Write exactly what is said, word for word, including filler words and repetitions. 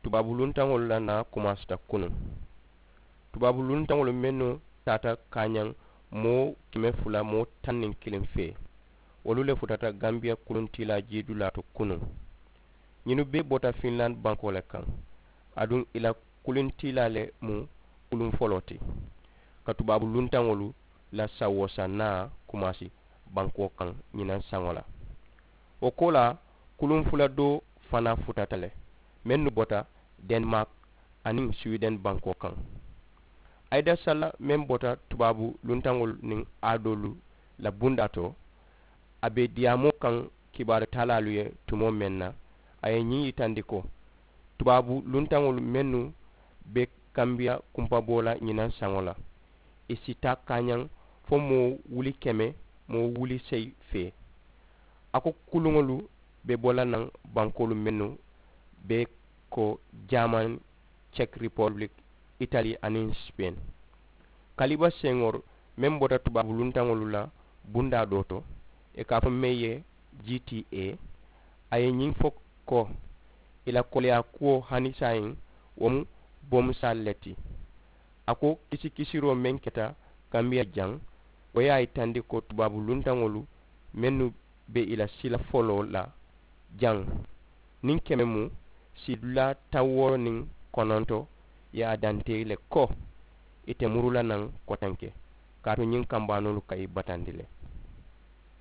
Tubaabu luntaŋolu la naa kumaasita kunuŋ. Tubaabu luntaŋolu mennu taata kaañaŋ moo keme fula moo taŋ niŋ kiliŋ fee, wolu le futata gambiya kuluntiilaa jiidulaa to kunuŋ. Ñinnu bee bota finland bankoo le kaŋ, aduŋ ì la kuluntiilaa le mu kuluŋ foloo ti. Ka tubaabu luntaŋolu la sawoosa naa kumaasi bankoo kaŋ ñinaŋ saŋo la. Wo koolaa, kuluŋ fula doo fanaa futata le mennu bota denmak aniŋ siwiden bankoo kaŋ. Ayida salla meŋ bota tubaabu luntaŋolu niŋ aadoolu la bundaa to, a be diyaamoo kaŋ kibaaru taalaalu ye tumoo meŋ na, a ye ñiŋ yitandi ko tubaabu luntaŋolu mennu be kambiya kumpaboo la ñinaŋ saŋo la, ì si taa kaañaŋ fo moo wuli keme moo wuli seyi fee. A ko kuluŋolu be bo la naŋ bankoolu mennu be ko jaaman, cek ripobilik, itali aniŋ sipeŋ. Kaliba seŋor meŋ bota tubaabu luntaŋolu la bundaa doo to, ì ka a fo meŋ ye g t a, a ye ñiŋ fo ko ì la koleyaa kuwo hani saayiŋ wo mu bomusaalu le ti. A ko kisikisiroo meŋ keta kambiya jaŋ, wo ye a yitandi ko tubaabu luntaŋolu mennu be ì la sila foloo la jaŋ niŋ keme mu siidulaa taŋ wooro niŋ kononto ye a dantee le ko ì te muru la naŋ kotenke, kaatu ñiŋ kambaanoolu ka ì batandi le.